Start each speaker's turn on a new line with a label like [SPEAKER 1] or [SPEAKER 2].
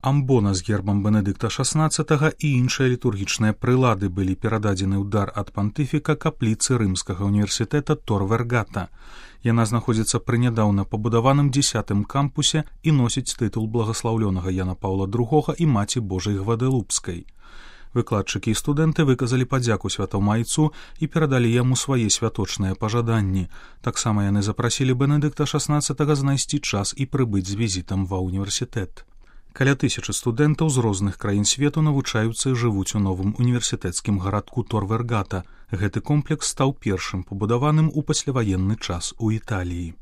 [SPEAKER 1] Амбона з гербам Бенедыкта XVI і іншыя літургічныя прылады былі перададзены ў дар ад пантыфіка капліцы рымскага універсітэта Тор Вергата. Яна знаходзіцца пры нядаўна пабудаваным 10-м кампусе і носіць тытул благаслаўлёнага Яна Паўла II і Маці Божай Гвадэлупскай. Выкладчыкі і студэнты выказалі падзяку святому айцу і перадалі яму свае святочныя пажаданні. Таксама яны запрасілі Бенедыкта XVI знайсці час і прыбыць з візітам ва ўніверсітэт. Каля 1000 студэнтаў з розных краін свету навучаюцца і жывуць у новым універсітэцкім гарадку Тор Вергата. Гэты комплекс стаў першым пабудаваным у пасляваенны час у Італіі.